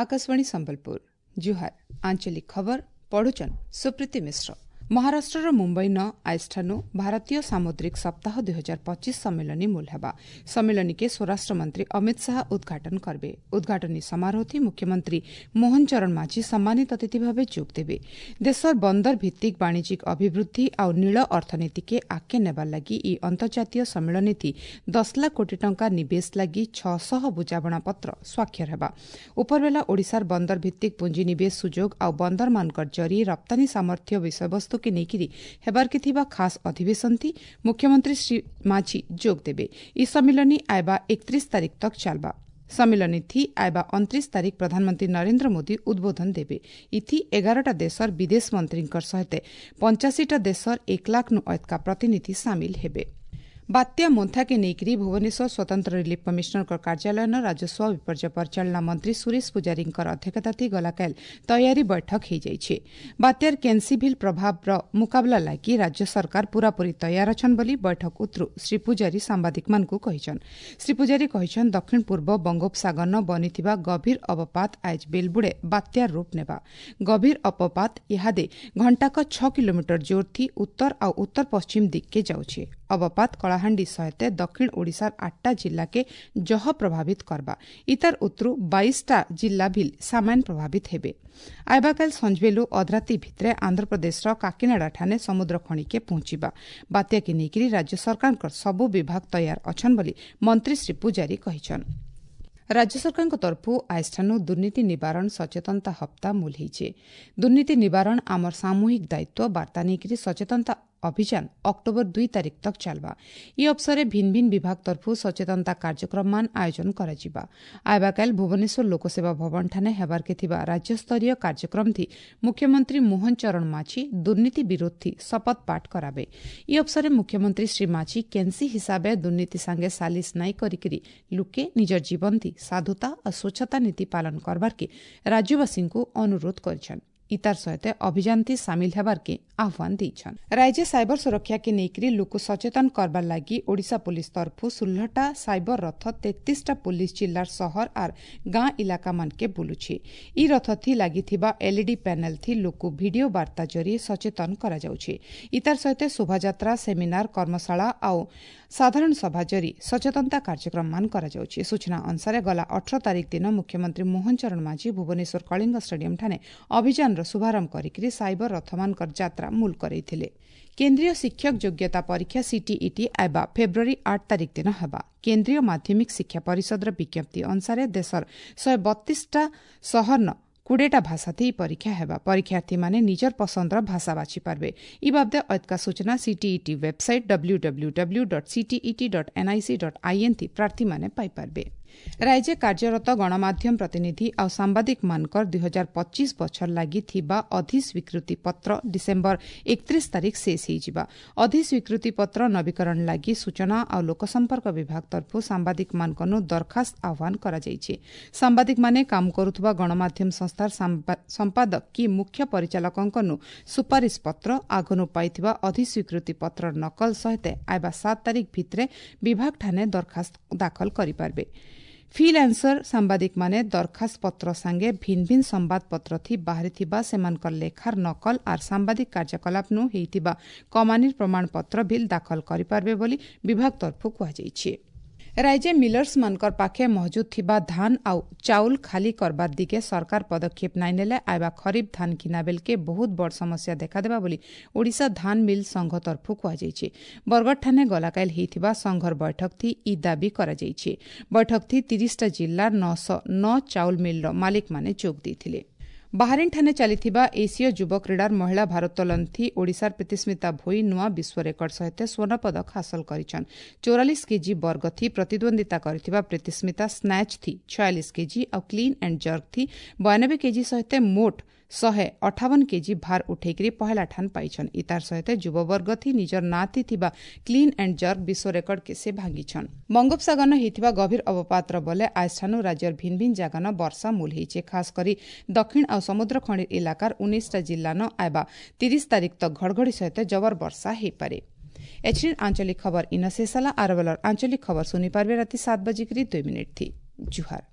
ଆକାଶବାଣୀ ସମ୍ବଲପୁର, ଜୁହାର। ଆଞ୍ଚଳିକ ଖବର ପଢୁଛନ୍ ସୁପ୍ରୀତି ମିଶ୍ର। ମହାରାଷ୍ଟ୍ରର ମୁମ୍ବାଇନ ଆଇଷ୍ଠାନୁ ଭାରତୀୟ ସାମୁଦ୍ରିକ ସପ୍ତାହ 2025 ସମ୍ମିଳନୀ ମୂଲ ହେବା। ସମ୍ମିଳନୀକେ ସ୍ୱରାଷ୍ଟ୍ରମନ୍ତ୍ରୀ ଅମିତ ଶାହା ଉଦ୍ଘାଟନ କରିବେ। ଉଦ୍ଘାଟନୀ ସମାରୋହଥି ମୁଖ୍ୟମନ୍ତ୍ରୀ ମୋହନ ଚରଣ ମାଝୀ ସମ୍ମାନିତ ଅତିଥି ଭାବେ ଯୋଗ ଦେବେ। ଦେଶର ବନ୍ଦର ଭିତ୍ତିକ ବାଣିଜ୍ୟିକ ଅଭିବୃଦ୍ଧି ଆଉ ନୀଳ ଅର୍ଥନୀତିକେ ଆଗକେ ନେବାର ଲାଗି ଇ ଅନ୍ତର୍ଜାତୀୟ ସମ୍ମିଳନୀଥି 10 ଲାଖ କୋଟି ଟଙ୍କା ନିବେଶ ଲାଗି 600 ବୁଝାମଣାପତ୍ର ସ୍ୱାକ୍ଷର ହେବା। ଉପରବେଲା ଓଡ଼ିଶାର ବନ୍ଦର ଭିତ୍ତିକ ପୁଞ୍ଜିନିବେଶ ସୁଯୋଗ ଆଉ ବନ୍ଦରମାନଙ୍କର ଜରିଏ ରପ୍ତାନୀ ସାମର୍ଥ୍ୟ ବିଷୟବସ୍ତୁ କେ ନେଇକିରି ହେବାର୍କେ ଥିବା ଖାସ୍ ଅଧିବେଶନଥି ମୁଖ୍ୟମନ୍ତ୍ରୀ ଶ୍ରୀ ମାଝୀ ଯୋଗ ଦେବେ। ଇ ସମ୍ମିଳନୀ ଆଇବା 31 ତାରିଖ ତକ୍ ଚାଲବା। ସମ୍ମିଳନୀଥି ଆଇବା 29 ତାରିଖ ପ୍ରଧାନମନ୍ତ୍ରୀ ନରେନ୍ଦ୍ର ମୋଦି ଉଦ୍ବୋଧନ ଦେବେ। ଇଥି 11ଟା ଦେଶର ବିଦେଶ ମନ୍ତ୍ରୀଙ୍କର ସହିତ 85ଟା ଦେଶର 1 ଲାଖନୁ ଅଧିକା ପ୍ରତିନିଧି ସାମିଲ ହେବେ। ବାତ୍ୟା ମୋନ୍ଥାକେ ନେଇକରି ଭୁବନେଶ୍ୱର ସ୍ୱତନ୍ତ୍ର ରିଲିଫ୍ କମିଶନରଙ୍କ କାର୍ଯ୍ୟାଳୟନ ରାଜସ୍ୱ ବିପର୍ଯ୍ୟୟ ପରିଚାଳନା ମନ୍ତ୍ରୀ ସୁରେଶ ପୂଜାରୀଙ୍କର ଅଧ୍ୟକ୍ଷତାଥି ଗଲାକାଲି ତୟାରୀ ବୈଠକ ହୋଇଯାଇଛି। ବାତ୍ୟାର କେନ୍ସିଭିଲ୍ ପ୍ରଭାବର ମୁକାବିଲା ଲାଗି ରାଜ୍ୟ ସରକାର ପୂରାପୂରି ତୟାର ଅଛନ୍ ବୋଲି ବୈଠକ ଉତ୍ରୁ ଶ୍ରୀ ପୂଜାରୀ ସାମ୍ବାଦିକମାନଙ୍କୁ କହିଛନ୍। ଶ୍ରୀ ପୂଜାରୀ କହିଛନ୍, ଦକ୍ଷିଣ ପୂର୍ବ ବଙ୍ଗୋପସାଗରନ ବନିଥିବା ଗଭୀର ଅବପାତ ଆଏଜ ବେଲବୁଡ଼େ ବାତ୍ୟାର ରୂପ ନେବା। ଗଭୀର ଅବପାତ ଇହାଦେ ଘଣ୍ଟାକ 6 କିଲୋମିଟର ଜୋରଥି ଉତ୍ତର ଆଉ ଉତ୍ତର ପଶ୍ଚିମ ଦିଗ୍କେ ଯାଉଛି। ଅବପାତ କଳାହାଣ୍ଡି ସହିତ ଦକ୍ଷିଣ ଓଡ଼ିଶାର 8ଟା ଜିଲ୍ଲାକେ ଜହ ପ୍ରଭାବିତ କରବା। ଇତାର ଉତ୍ତରୁ 22ଟା ଜିଲ୍ଲା ଭିଲ୍ ସାମାନ୍ୟ ପ୍ରଭାବିତ ହେବେ। ଆଇବାକାଲ ସଞ୍ଜବେଲୁ ଅଧରାତି ଭିତରେ ଆନ୍ଧ୍ରପ୍ରଦେଶର କାକିନାଡ଼ା ଠାନେ ସମୁଦ୍ର ଖଣିକେ ପହଞ୍ଚିବା। ବାତ୍ୟାକେ ନେଇକରି ରାଜ୍ୟ ସରକାରଙ୍କର ସବୁ ବିଭାଗ ତୟାର ଅଛନ୍ ବୋଲି ମନ୍ତ୍ରୀ ଶ୍ରୀ ପୂଜାରୀ କହିଛନ୍। ରାଜ୍ୟ ସରକାରଙ୍କ ତରଫରୁ ଆଇଷ୍ଠାନୁ ଦୁର୍ନୀତି ନିବାରଣ ସଚେତନତା ହପ୍ତା ମୂଲ ହେଇଛେ। ଦୁର୍ନୀତି ନିବାରଣ ଆମର ସାମୂହିକ ଦାୟିତ୍ୱ ବାର୍ତ୍ତା ନେଇକରି ସଚେତନତା ଅଭିଯାନ ଅକ୍ଟୋବର 2 ତାରିଖ ତକ୍ ଚାଲବା। ଇ ଅବସରେ ଭିନ୍ନ ଭିନ୍ନ ବିଭାଗ ତରଫରୁ ସଚେତନତା କାର୍ଯ୍ୟକ୍ରମମାନ ଆୟୋଜନ କରାଯିବା। ଆଇବାକାଲ ଭୁବନେଶ୍ୱର ଲୋକସେବା ଭବନଠାନେ ହେବାର୍କେ ଥିବା ରାଜ୍ୟସ୍ତରୀୟ କାର୍ଯ୍ୟକ୍ରମଥି ମୁଖ୍ୟମନ୍ତ୍ରୀ ମୋହନ ଚରଣ ମାଝୀ ଦୁର୍ନୀତି ବିରୋଧୀ ଶପଥ ପାଠ କରାବେ। ଇ ଅବସରେ ମୁଖ୍ୟମନ୍ତ୍ରୀ ଶ୍ରୀ ମାଝୀ କେନ୍ସି ହିସାବେ ଦୁର୍ନୀତି ସାଙ୍ଗେ ସାଲିସ ନାଇଁ କରିକିରି ଲୁକେ ନିଜର ଜୀବନଥି ସାଧୁତା ଓ ସ୍ୱଚ୍ଛତା ନୀତି ପାଳନ କରବାର୍କେ ରାଜ୍ୟବାସୀଙ୍କୁ ଅନୁରୋଧ କରିଛନ୍। ଇତାର ସହିତ ଅଭିଯାନଥି ସାମିଲ ହେବାର୍କେ ଆହ୍ୱାନ ଦେଇଛନ୍। ରାଜ୍ୟ ସାଇବର ସୁରକ୍ଷାକେ ନେଇକରି ଲୋକ ସଚେତନ କରବାର ଲାଗି ଓଡ଼ିଶା ପୁଲିସ ତରଫରୁ 16ଟା ସାଇବର ରଥ 33ଟା ପୁଲିସ ଜିଲ୍ଲାର ସହର ଆର୍ ଗାଁ ଇଲାକାମାନକେ ବୁଲୁଛି। ଇ ରଥଥି ଲାଗିଥିବା ଏଲ୍ଇଡି ପ୍ୟାନେଲଥି ଲୋକ ଭିଡିଓ ବାର୍ତ୍ତା ଜରିଏ ସଚେତନ କରାଯାଉଛି। ଇତାର ସହିତ ଶୋଭାଯାତ୍ରା, ସେମିନାର, କର୍ମଶାଳା ଆଉ ସାଧାରଣ ସଭା ଜରି ସଚେତନତା କାର୍ଯ୍ୟକ୍ରମମାନ କରାଯାଉଛି। ସୂଚନା ଅନୁସାରେ ଗଲା 18 ତାରିଖ ଦିନ ମୁଖ୍ୟମନ୍ତ୍ରୀ ମୋହନ ଚରଣ ମାଝୀ ଭୁବନେଶ୍ୱର କଳିଙ୍ଗ ଷ୍ଟାଡିୟମଠାନେ ଅଭିଯାନର ଶୁଭାରମ୍ଭ କରିକି ସାଇବର ରଥମାନଙ୍କର ଯାତ୍ରା ମୂଲ କରାଇଥିଲେ। କେନ୍ଦ୍ରୀୟ ଶିକ୍ଷକ ଯୋଗ୍ୟତା ପରୀକ୍ଷା ସିଟିଇଟି ଆଇବା ଫେବୃଆରୀ 8 ତାରିଖ ଦିନ ହେବା। କେନ୍ଦ୍ରୀୟ ମାଧ୍ୟମିକ ଶିକ୍ଷା ପରିଷଦର ବିଜ୍ଞପ୍ତି ଅନୁସାରେ ଦେଶର 132ଟା ସହରନ 20ଟା ଭାଷାଥି ଇ ପରୀକ୍ଷା ହେବା। ପରୀକ୍ଷାର୍ଥୀମାନେ ନିଜର ପସନ୍ଦର ଭାଷା ବାଛିପାରିବେ। ଇ ବାବଦେ ଅଧିକା ସୂଚନା CTET website W W W dot CTET dot NIC dot IN ଥି ପ୍ରାର୍ଥୀମାନେ ପାଇପାରିବେ। ରାଜ୍ୟ କାର୍ଯ୍ୟରତ ଗଣମାଧ୍ୟମ ପ୍ରତିନିଧି ଆଉ ସାମ୍ବାଦିକମାନଙ୍କର 2025 ବଛର ଲାଗି ଥିବା ଅଧିସ୍ୱୀକୃତି ପତ୍ର ଡିସେମ୍ବର 31 ତାରିଖ ଶେଷ ହୋଇଯିବା। ଅଧିସ୍ୱୀକୃତି ପତ୍ର ନବୀକରଣ ଲାଗି ସୂଚନା ଆଉ ଲୋକସମ୍ପର୍କ ବିଭାଗ ତରଫରୁ ସାମ୍ବାଦିକମାନଙ୍କନୁ ଦରଖାସ୍ତ ଆହ୍ୱାନ କରାଯାଇଛି। ସାମ୍ବାଦିକମାନେ କାମ କରୁଥିବା ଗଣମାଧ୍ୟମ ସଂସ୍ଥାର ସମ୍ପାଦକ କି ମୁଖ୍ୟ ପରିଚାଳକଙ୍କନୁ ସୁପାରିଶ ପତ୍ର, ଆଗନୁ ପାଇଥିବା ଅଧିସ୍ୱୀକୃତି ପତ୍ରର ନକଲ ସହିତ ଆଇବା 7 ତାରିଖ ଭିତରେ ବିଭାଗଠାନେ ଦରଖାସ୍ତ ଦାଖଲ କରିପାରିବେ। ଫ୍ରିଲାନ୍ସର ସାମ୍ବାଦିକମାନେ ଦରଖାସ୍ତ ପତ୍ର ସାଙ୍ଗେ ଭିନ୍ନ ଭିନ୍ନ ସମ୍ବାଦପତ୍ରଥି ବାହାରିଥିବା ସେମାନଙ୍କର ଲେଖାର ନକଲ ଆର୍ ସାମ୍ବାଦିକ କାର୍ଯ୍ୟକଳାପନୁ ହେଇଥିବା କମାନିର ପ୍ରମାଣପତ୍ର ବିଲ୍ ଦାଖଲ କରିପାରିବେ ବୋଲି ବିଭାଗ ତରଫରୁ କୁହାଯାଇଛି। ରାଜ୍ୟ ମିଲର୍ସମାନଙ୍କର ପାଖେ ମହଜୁଦ ଥିବା ଧାନ ଆଉ ଚାଉଲ ଖାଲି କରବାର ଦିଗେ ସରକାର ପଦକ୍ଷେପ ନାଇଁ ନେଲେ ଆଇବା ଖରିଫ ଧାନ ଘିନା ବେଲକେ ବହୁତ ବଡ଼ ସମସ୍ୟା ଦେଖାଦେବା ବୋଲି ଓଡ଼ିଶା ଧାନ ମିଲ୍ ସଂଘ ତରଫରୁ କୁହାଯାଇଛି। ବରଗଡ଼ଠାନେ ଗଲାକାଲି ହେଇଥିବା ସଂଘର ବୈଠକଥି ଇ ଦାବି କରାଯାଇଛି। ବୈଠକଥି 30ଟା ଜିଲ୍ଲାର 909 ଚାଉଲ ମିଲ୍ର ମାଲିକମାନେ ଯୋଗ ଦେଇଥିଲେ। ବାହାରିନ୍ଠାନେ ଚାଲିଥିବା ଏସୀୟ ଯୁବ କ୍ରୀଡ଼ାର ମହିଳା ଭାରୋତ୍ତୋଳନଥି ଓଡ଼ିଶାର ପ୍ରୀତିସ୍ମିତା ଭୋଇ ନୂଆ ବିଶ୍ୱ ରେକର୍ଡ ସହିତ ସ୍ୱର୍ଣ୍ଣପଦକ ହାସଲ କରିଛନ୍। 44 କେଜି ବର୍ଗଥି ପ୍ରତିଦ୍ୱନ୍ଦିତା କରିଥିବା ପ୍ରୀତିସ୍ମିତା ସ୍ନାଚ୍ ଥି 46 କେଜି ଆଉ କ୍ଲିନ୍ ଆଣ୍ଡ ଜର୍କ ଥି 92 କେଜି ସହିତ ମୋଟ 158 କେଜି ଭାର ଉଠେଇକରି ପହେଲା ଠାନ ପାଇଛନ୍। ଇତାର ସହିତ ଯୁବବର୍ଗଥି ନିଜର ନାଁଥି ଥିବା କ୍ଲିନ୍ ଆଣ୍ଡ ଜର୍କ ବିଶ୍ୱ ରେକର୍ଡକେ ସେ ଭାଙ୍ଗିଛନ୍। ବଙ୍ଗୋପସାଗରନ ହେଇଥିବା ଗଭୀର ଅବପାତର ବଲେ ଆଜଠାନୁ ରାଜ୍ୟର ଭିନ୍ନ ଭିନ୍ନ ଜାଗାନ ବର୍ଷା ମୂଲ ହେଇଛେ। ଖାସ କରି ଦକ୍ଷିଣ ଆଉ ସମୁଦ୍ର ଖଣି ଇଲାକାର 19ଟା ଜିଲ୍ଲାନ ଆଇବା 30 ତାରିଖ ତକ ଘଡ଼ଘଡ଼ି ସହିତ ଜବର ବର୍ଷା ହେଇପାରେ। ଏଛିନ୍ ଆଞ୍ଚଳିକ ଖବର ଇନ ଶେଷ ହେଲା। ଆରବେଲର ଆଞ୍ଚଳିକ ଖବର ଶୁଣିପାରିବେ ରାତି 7:02 ଥି। ଜୁହାର।